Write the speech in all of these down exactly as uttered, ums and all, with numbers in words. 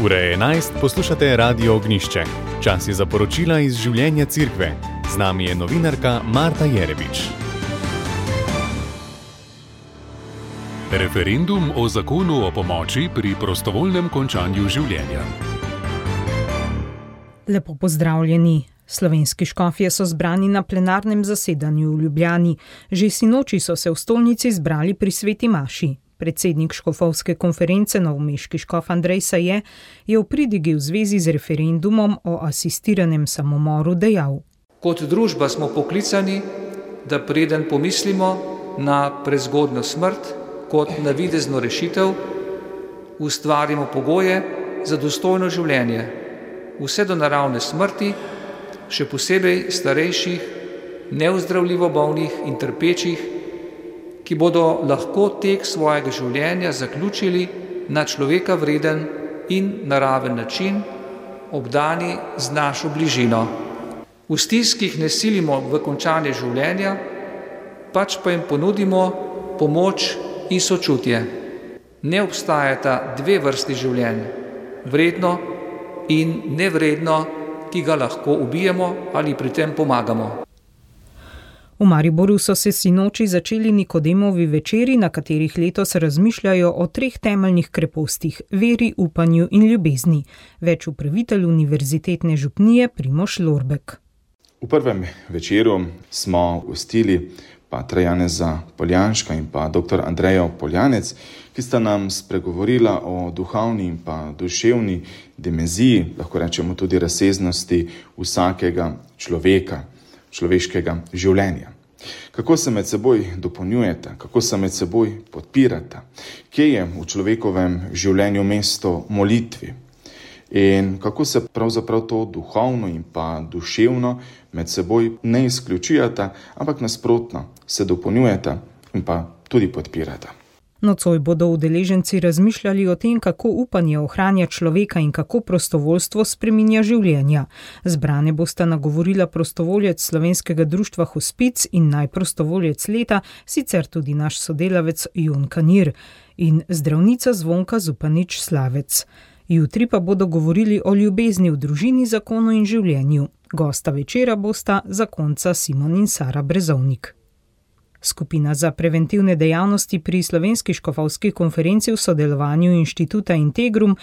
Ura je enajst, poslušate Radio Ognjišče. Čas je za poročila iz življenja Cerkve. Z nami je novinarka Marta Jerebič. Referendum o zakonu o pomoči pri prostovoljnem končanju življenja. Lepo pozdravljeni. Slovenski škofje so zbrani na plenarnem zasedanju v Ljubljani. Že sinoči so se v stolnici zbrali pri sveti maši. Predsednik škofovske konference novomeški škof Andrej Saje je v pridigi v zvezi z referendumom o asistiranem samomoru dejal: Kot družba smo poklicani, da preden pomislimo na prezgodnjo smrt kot navidezno rešitev, ustvarimo pogoje za dostojno življenje, vse do naravne smrti, še posebej starejših, neozdravljivo bolnih in trpečih, ki bodo lahko tek svojega življenja zaključili na človeka vreden in naraven način, obdani z našo bližino. V stiskih ne silimo v končanje življenja, pač pa jim ponudimo pomoč in sočutje. Ne obstajata dve vrsti življenj, vredno in nevredno, ki ga lahko ubijemo ali pri tem pomagamo. V Mariboru so se sinoči začeli Nikodemovi večeri, na katerih letos razmišljajo o treh temeljnih krepostih: veri, upanju in ljubezni. Več upravitelj Univerzitetne župnije Primož Lorbek. V prvem večeru smo gostili patra Janeza Poljanška in pa doktor Andrejo Poljanec, ki sta nam spregovorila o duhovni in pa duševni dimenziji, lahko rečemo tudi razsežnosti vsakega človeka, človeškega življenja. Kako se med seboj dopolnjujeta, kako se med seboj podpirata, kje je v človekovem življenju mesto molitvi in kako se pravzaprav to duhovno in pa duševno med seboj ne izključujeta, ampak nasprotno se dopolnjujeta in pa tudi podpirata. Nocoj bodo udeleženci razmišljali o tem, kako upanje ohranja človeka in kako prostovoljstvo spreminja življenja. Zbrane bosta nagovorila prostovoljec Slovenskega društva Hospic in najprostovoljec leta, sicer tudi naš sodelavec Jon Kanir in zdravnica Zvonka Zupanič Slavec. Jutri pa bodo govorili o ljubezni v družini, zakonu in življenju. Gosta večera bosta zakonca Simon in Sara Brezovnik. Skupina za preventivne dejavnosti pri Slovenski škofovski konferenci v sodelovanju Inštituta Integrum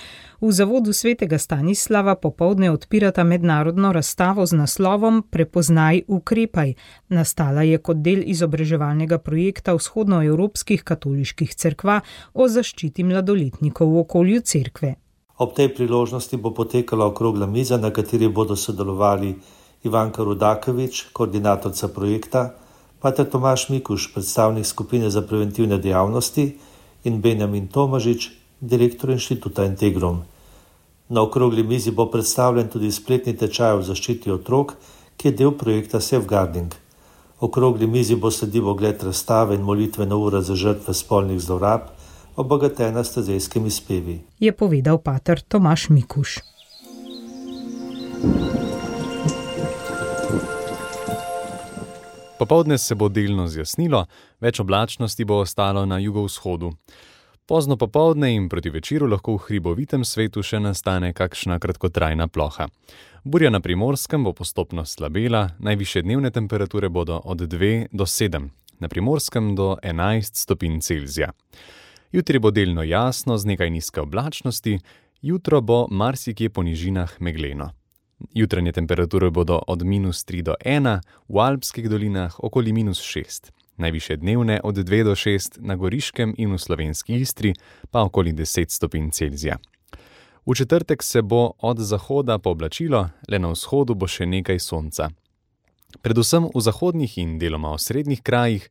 v zavodu svetega Stanislava popoldne odpirata mednarodno razstavo z naslovom Prepoznaj, ukrepaj. Nastala je kot del izobraževalnega projekta vzhodnoevropskih katoliških cerkva o zaščiti mladoletnikov v okolju cerkve. Ob tej priložnosti bo potekala okrogla miza, na kateri bodo sodelovali Ivanka Rudakovič, koordinatorca projekta, pater Tomaž Mikuš, predstavnik skupine za preventivne dejavnosti, in Benjamin Tomažič, direktor Inštituta Integrum. Na okrogli mizi bo predstavljen tudi spletni tečaj o zaščiti otrok, ki je del projekta Safeguarding. Okrogli mizi bo sledil ogled razstave in molitvena ura za žrtve spolnih zlorab, obogatena s tazejskimi spevi, je povedal pater Tomaž Mikuš. Popoldne se bo delno zjasnilo, več oblačnosti bo ostalo na jugovzhodu. Pozno popoldne in proti večeru lahko v hribovitem svetu še nastane kakšna kratkotrajna ploha. Burja na Primorskem bo postopno slabela, najvišje dnevne temperature bodo od dve do sedem, na Primorskem do enajst stopinj Celzija. Jutri bo delno jasno z nekaj nizke oblačnosti, jutro bo marsikje po nižinah megleno. Jutranje temperature bodo od minus tri do ena, v alpskih dolinah okoli minus šest. Najvišje dnevne od dve do šest, na Goriškem in v slovenski Istri pa okoli deset stopinj Celzija. V četrtek se bo od zahoda pooblačilo, le na vzhodu bo še nekaj sonca. Predvsem v zahodnih in deloma osrednjih krajih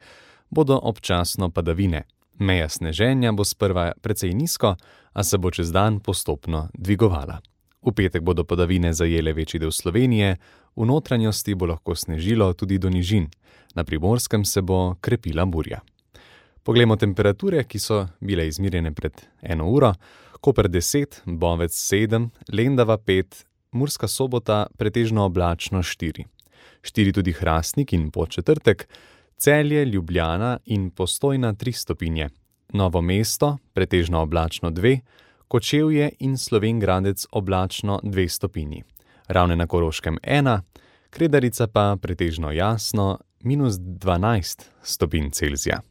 bodo občasno padavine. Meja sneženja bo sprva precej nizko, a se bo čez dan postopno dvigovala. V petek bodo padavine zajele večji del Slovenije, v notranjosti bo lahko snežilo tudi do nižin, na Primorskem se bo krepila burja. Poglejmo temperature, ki so bile izmirjene pred eno uro. Koper deset, Bovec sedem, Lendava pet, Murska Sobota pretežno oblačno štiri. štiri tudi Hrastnik in Podčetrtek, Celje, Ljubljana in Postojna tri stopinje. Novo mesto pretežno oblačno dve, Kočevje in Slovenj Gradec oblačno dve stopinji. Ravne na Koroškem ena, Kredarica pa pretežno jasno minus dvanajst stopinj Celzija.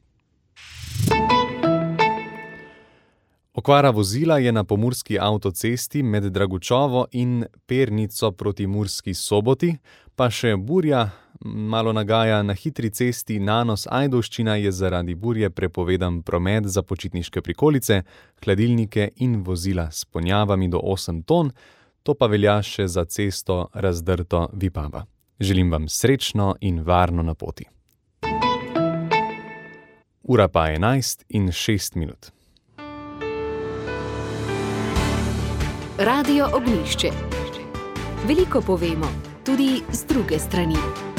Okvara vozila je na pomurski avtocesti med Dragučovo in Pernico proti Murski Soboti, pa še burja malo nagaja na hitri cesti Nanos-Ajdovščina je zaradi burje prepovedan promet za počitniške prikolice, hladilnike in vozila s ponjavami do osem ton, to pa velja še za cesto Razdrto Vipava. Želim vam srečno in varno na poti. Ura pa enajst in šest minut. Radio Ognjišče. Veliko povemo, tudi z druge strani.